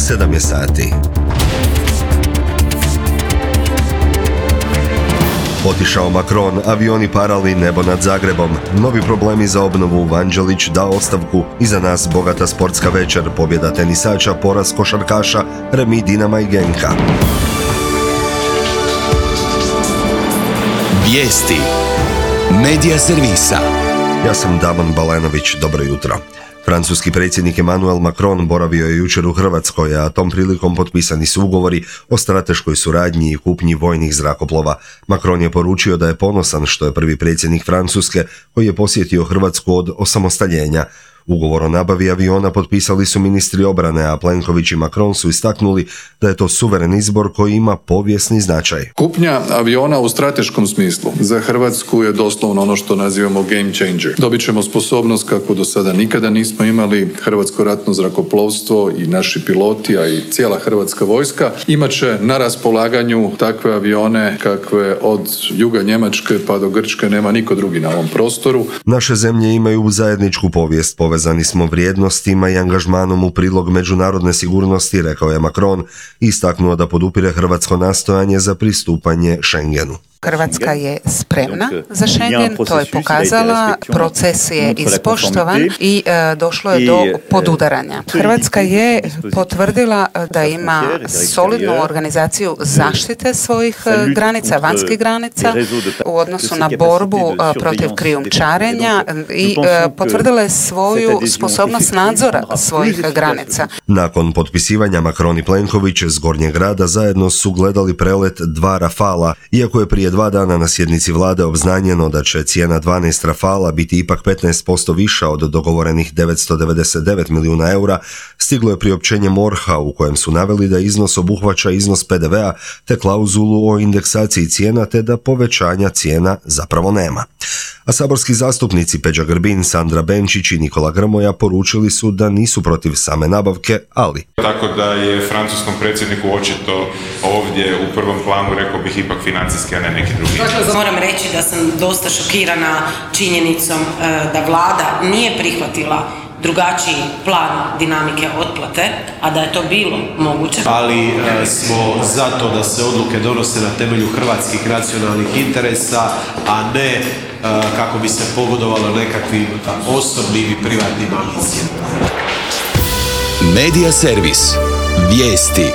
7 je sati. Otišao Macron, avioni parali nebo nad Zagrebom, novi problemi za obnovu, Vanđelić dao ostavku, iza nas bogata sportska večer, pobjeda tenisača, poraz košarkaša, remi Dinama i Genka. Vijesti Medija servisa. Ja sam Damon Balenović, dobro jutro. Francuski predsjednik Emmanuel Macron boravio je jučer u Hrvatskoj, a tom prilikom potpisani su ugovori o strateškoj suradnji i kupnji vojnih zrakoplova. Macron je poručio da je ponosan što je prvi predsjednik Francuske koji je posjetio Hrvatsku od osamostaljenja. Ugovor o nabavi aviona potpisali su ministri obrane, a Plenković i Macron su istaknuli da je to suveren izbor koji ima povijesni značaj. Kupnja aviona u strateškom smislu za Hrvatsku je doslovno ono što nazivamo game changer. Dobit ćemo sposobnost kakvu do sada nikada nismo imali. Hrvatsko ratno zrakoplovstvo i naši piloti, a i cijela hrvatska vojska imat će na raspolaganju takve avione kakve od juga Njemačke pa do Grčke nema niko drugi na ovom prostoru. Naše zemlje imaju zajedničku povijest, povezani smo vrijednostima i angažmanom u prilog međunarodne sigurnosti, rekao je Macron, i istaknuo da podupire hrvatsko nastojanje za pristupanje Schengenu. Hrvatska je spremna za Schengen, to je pokazala, proces je ispoštovan i došlo je do podudaranja. Hrvatska je potvrdila da ima solidnu organizaciju zaštite svojih granica, vanjskih granica u odnosu na borbu protiv krijumčarenja i potvrdila je svoju sposobnost nadzora svojih granica. Nakon potpisivanja Macron i Plenković s Gornjeg grada zajedno su gledali prelet 2 Rafala, iako je prije 2 dana na sjednici vlade obznanjeno da će cijena 12 Rafala biti ipak 15% viša od dogovorenih 999 milijuna eura, stiglo je priopćenje MORH-a u kojem su naveli da iznos obuhvaća iznos PDV-a te klauzulu o indeksaciji cijena te da povećanja cijena zapravo nema. A saborski zastupnici Peđa Grbin, Sandra Benčić i Nikola Grmoja poručili su da nisu protiv same nabavke, ali... Tako da je francuskom predsjedniku očito ovdje u prvom planu, rekao bih, ipak financijski, a ne neki drugi. Moram reći da sam dosta šokirana činjenicom da vlada nije prihvatila drugačiji plan dinamike otplate, a da je to bilo moguće. Ali smo za to da se odluke donose na temelju hrvatskih nacionalnih interesa, a ne kako bi se pogodovalo nekakvim osobnim i privatnim ambicijama. Medija servis. Vijesti.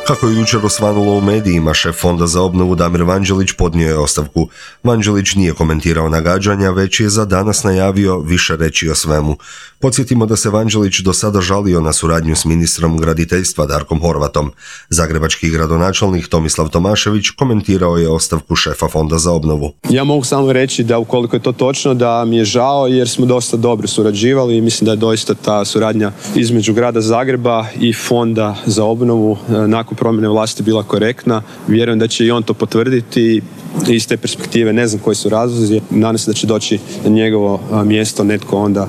Kako je jučer osvanulo u medijima, šef Fonda za obnovu Damir Vanđelić podnio je ostavku. Vanđelić nije komentirao nagađanja, već je za danas najavio više reći o svemu. Podsjetimo da se Vanđelić do sada žalio na suradnju s ministrom graditeljstva Darkom Horvatom. Zagrebački gradonačelnik Tomislav Tomašević komentirao je ostavku šefa Fonda za obnovu. Ja mogu samo reći da ukoliko je to točno, da mi je žao jer smo dosta dobro surađivali i mislim da je doista ta suradnja između grada Zagreba i Fonda za obnovu nakon promjene vlasti bila korektna. Vjerujem da će i on to potvrditi. Iz te perspektive ne znam koji su razlozi. Nadam se da će doći na njegovo mjesto netko onda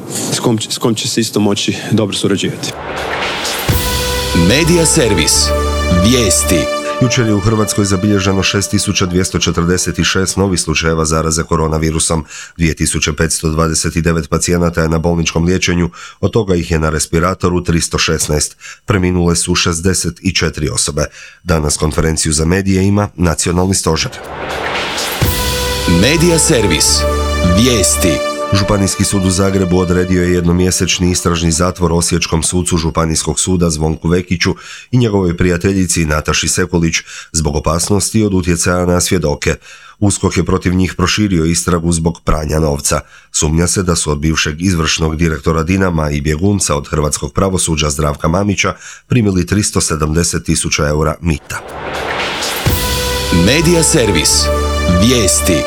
s kom će se isto moći dobro surađivati. Medija servis. Vijesti. Jučer je u Hrvatskoj zabilježeno 6246 novih slučajeva zaraze koronavirusom. 2529 pacijenata je na bolničkom liječenju, od toga ih je na respiratoru 316. Preminule su 64 osobe. Danas konferenciju za medije ima Nacionalni stožer. Medija servis. Vijesti. Županijski sud u Zagrebu odredio je jednomjesečni istražni zatvor osječkom sucu Županijskog suda Zvonku Vekiću i njegovoj prijateljici Nataši Sekulić zbog opasnosti od utjecaja na svjedoke. USKOK je protiv njih proširio istragu zbog pranja novca. Sumnja se da su od bivšeg izvršnog direktora Dinama i bjegunca od hrvatskog pravosuđa Zdravka Mamića primili 370.000 eura mita. Medija servis. Vijesti.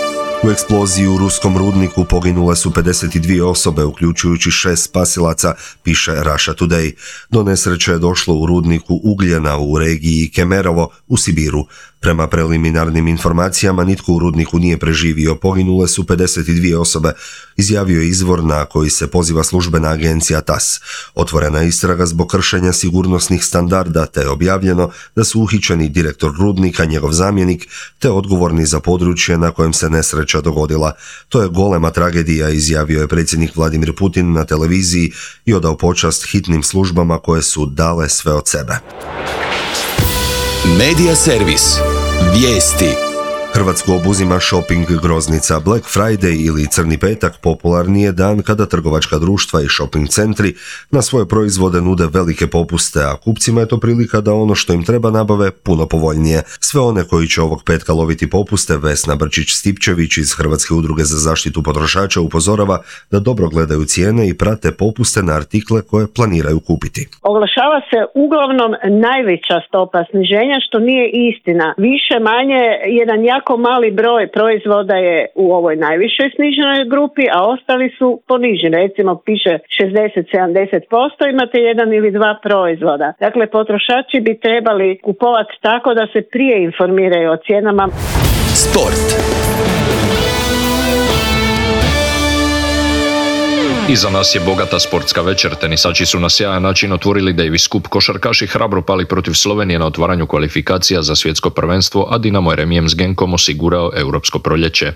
U eksploziji u ruskom rudniku poginule su 52 osobe, uključujući 6 spasilaca, piše Russia Today. Do nesreće je došlo u rudniku ugljena u regiji Kemerovo u Sibiru. Prema preliminarnim informacijama, nitko u rudniku nije preživio, poginule su 52 osobe, izjavio je izvor na koji se poziva službena agencija TASS. Otvorena je istraga zbog kršenja sigurnosnih standarda, te je objavljeno da su uhićeni direktor rudnika, njegov zamjenik, te odgovorni za područje na kojem se nesreća dogodila. To je golema tragedija, izjavio je predsjednik Vladimir Putin na televiziji i odao počast hitnim službama koje su dale sve od sebe. Medija servis. Vijesti. Hrvatsku obuzima shopping groznica. Black Friday ili Crni petak popularni je dan kada trgovačka društva i shopping centri na svoje proizvode nude velike popuste, a kupcima je to prilika da ono što im treba nabave puno povoljnije. Sve one koji će ovog petka loviti popuste, Vesna Brčić-Stipčević iz Hrvatske udruge za zaštitu potrošača upozorava da dobro gledaju cijene i prate popuste na artikle koje planiraju kupiti. Oglašava se uglavnom najveća stopa sniženja, što nije istina. Više manje jedan jako mali broj proizvoda je u ovoj najvišoj sniženoj grupi, a ostali su poniženi. Recimo piše 60-70%, imate jedan ili dva proizvoda. Dakle, potrošači bi trebali kupovati tako da se prije informiraju o cijenama. Sport. Iza nas je bogata sportska večer. Tenisači su na sjajan način otvorili Davis Cup, košarkaši hrabro pali protiv Slovenije na otvaranju kvalifikacija za svjetsko prvenstvo, a Dinamo je remijem s Genkom osigurao europsko proljeće.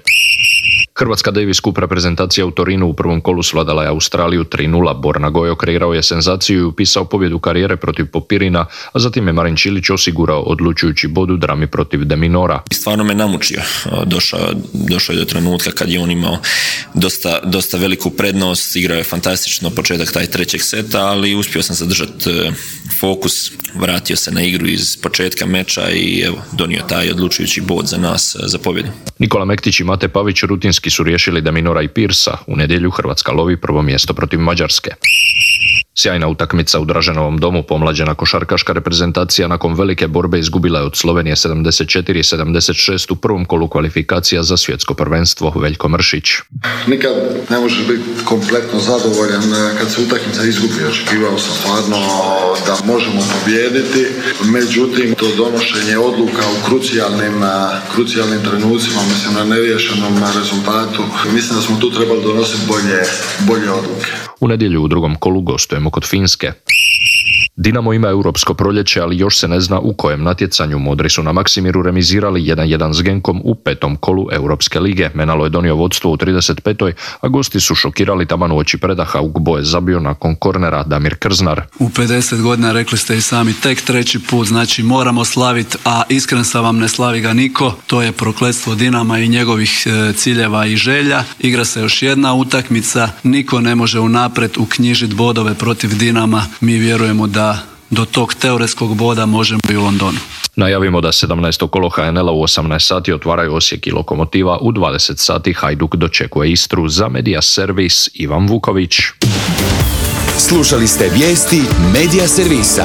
Hrvatska Davis Cup reprezentacija u Torinu u prvom kolu svladala je Australiju 3-0. Borna Gojo kreirao je senzaciju i upisao pobjedu karijere protiv Popirina, a zatim je Marin Čilić osigurao odlučujući bod u drami protiv De Minora. Stvarno me namučio. Došao je do trenutka kad je on imao dosta veliku prednost, igrao je fantastično početak taj trećeg seta, ali uspio sam zadržati fokus, vratio se na igru iz početka meča i evo, donio taj odlučujući bod za nas za pobjedu. Nikola Mektić i Mate Pavić rutinski su riješili De Minora i Pirsa. U nedjelju Hrvatska lovi prvo mjesto protiv Mađarske. Sjajna utakmica u Draženovom domu. Pomlađena košarkaška reprezentacija nakon velike borbe izgubila je od Slovenije 74-76 u prvom kolu kvalifikacija za svjetsko prvenstvo. Veljko Mršić. Nikad ne možeš biti kompletno zadovoljan kad se utakmica izgubi. Očekivao sam stvarno da možemo pobijediti, međutim to donošenje odluka u krucijalnim trenucima, mislim na neriješenom rezultatu, mislim da smo tu trebali donositi bolje odluke. U nedjelju u drugom kolu gostujemo kod Finske. Dinamo ima europsko proljeće, ali još se ne zna u kojem natjecanju. Modri su na Maksimiru remizirali 1-1 s Genkom u petom kolu Europske lige. Menalo je donio vodstvo u 35. a gosti su šokirali taman uoči predaha. Ugbo je zabio nakon kornera Damir Krznar. U 50 godina rekli ste i sami tek treći put, znači moramo slaviti, a iskren sam vam, ne slavi ga niko. To je prokletstvo Dinama i njegovih ciljeva i želja. Igra se još jedna utakmica, niko ne može unaprijed uknjižiti bodove protiv Dinama. Mi vjerujemo da do tog teoretskog boda možemo i u Londonu. Najavimo da 17. kolo HNL-a u 18 sati otvaraju Osijek i Lokomotiva, u 20 sati Hajduk dočekuje Istru. Za Medija servis Ivan Vuković. Slušali ste vijesti Medija servisa.